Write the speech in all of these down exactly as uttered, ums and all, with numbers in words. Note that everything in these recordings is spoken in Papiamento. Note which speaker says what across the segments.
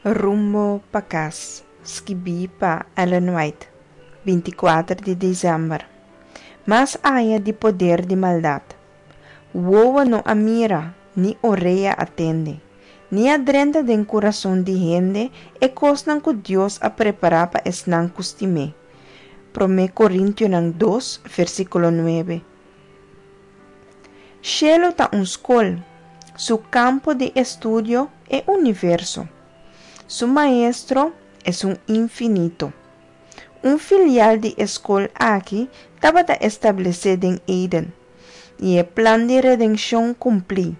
Speaker 1: Rumbo pa kas, skibí pa Ellen White, binti kuater di desèmber. Mas aya di poder di maldat. Wowo no a mira, ni orea a tende, ni a drenta den kurason di hende e kosnan ku Dios a prepará pa esnan ku stim'é. Promé Korintionan dos, versíkulo nuebe. Shelu ta un skol, su kampo di estudio e universo. Su maestro esun infinito. Un filial di e skol aki tabata establesé den Eden, i e plan di redenshon kumplí.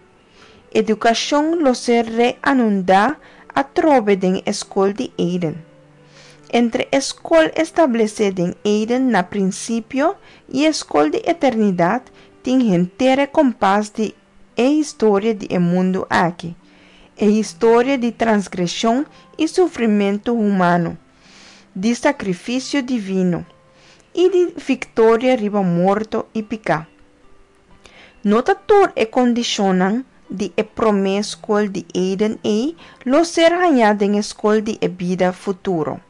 Speaker 1: Edukashon lo ser reanudá atrobe den e skol di Eden. Entre e skol establesé den Eden na prinsipio i e skol di eternidat tin henter e kompas di e historia di e mundu aki, e historia di transgreshon i sufrimentu humano, di sakrifisio divino, i di viktoria riba morto i piká. No ta tur e kondishonnan di e promé skol di Eden ei lo ser hañá den e skol di e bida futuro.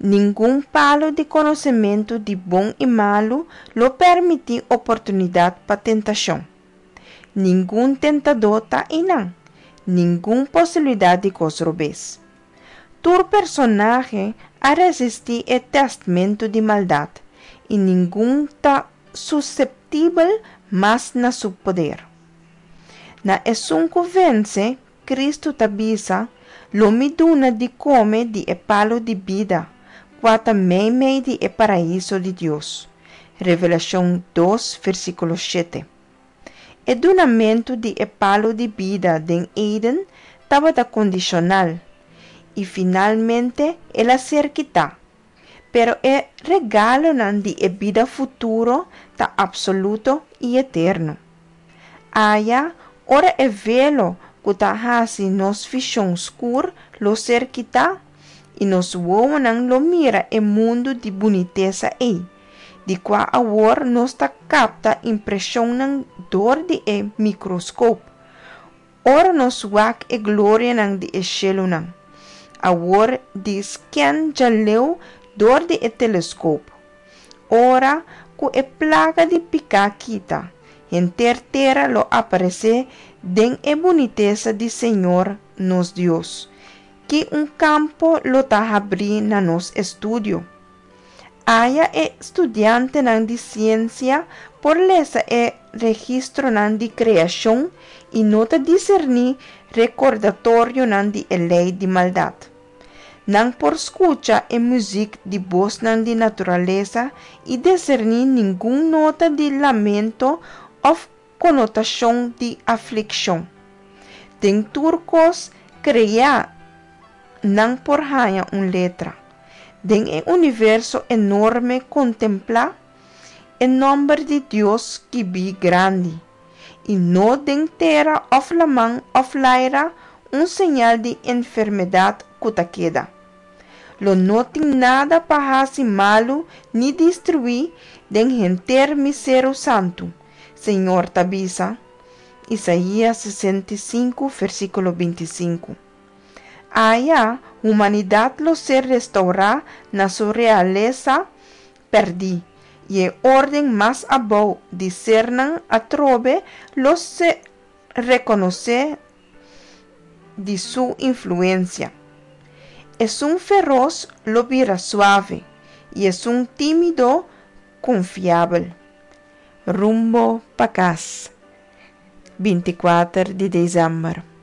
Speaker 1: Ningun palu di konosementu di bon i malu lo permití oportunidat pa tentashon. Ningun tentadó ta einan, ningun posibilidat di kos robes. Tur personahe a resistí e tèstmentu di maldat, i ningun ta suseptibel mas na su poder. Na esun ku vense, Kristu ta bisa, Lo mi duna di kome di e palu di bida, kua ta meimei di e paraiso di Dios. Revelashon dos, versíkulo shete. E dunamentu di e palu di bida den Eden tabata kondishonal, i finalmente el a ser kitá. Pero e regalonan di e bida futuro ta apsoluto i eterno. Aya, ora e velo ku ta hasi nos vishon skur lo ser kitá, i nos wowonan lo mira e mundu di bunitesa ei, di kua awor nos ta kapta impreshonnan dor di e mikroskop, ora nos wak e glorianan di e shelunan, awor di skèn djaleu dor di e teleskop. Ora ku e plaga di piká kita, henter tera lo aparesé den e bunitesa di Señor nos Dios. Ki un kampo lo ta habrí na nos estudio! Aya e studiantenan di siensia por lesa e registronan di kreashon i no ta diserní rekordatorionan di e lei di maldat. Nan por skucha e muzik di bosnan di naturalesa i diserní ningun nota di lamento òf konotashon di aflikshon. Den tur kos kreá nan por haña un letra. Den e universo enorme kontemplá e nòmber di Dios skibí grandi, i no den tera òf laman òf laira un señal di enfermedat ku ta keda. Lo no tin nada pa hasi malu ni destruí den henter mi seru santu, Señor ta bisa, Isaías sesenta i sinku, versíkulo binti sinku. Aya humanidat lo ser restourá na su realesa pèrdí, i e órden mas abou di sernan atrobe lo ser rekonosé di su influensia. Esun feros lo bira suave, i esun tímido konfiabel. Rumbo pa kas, binti kuater di desèmber.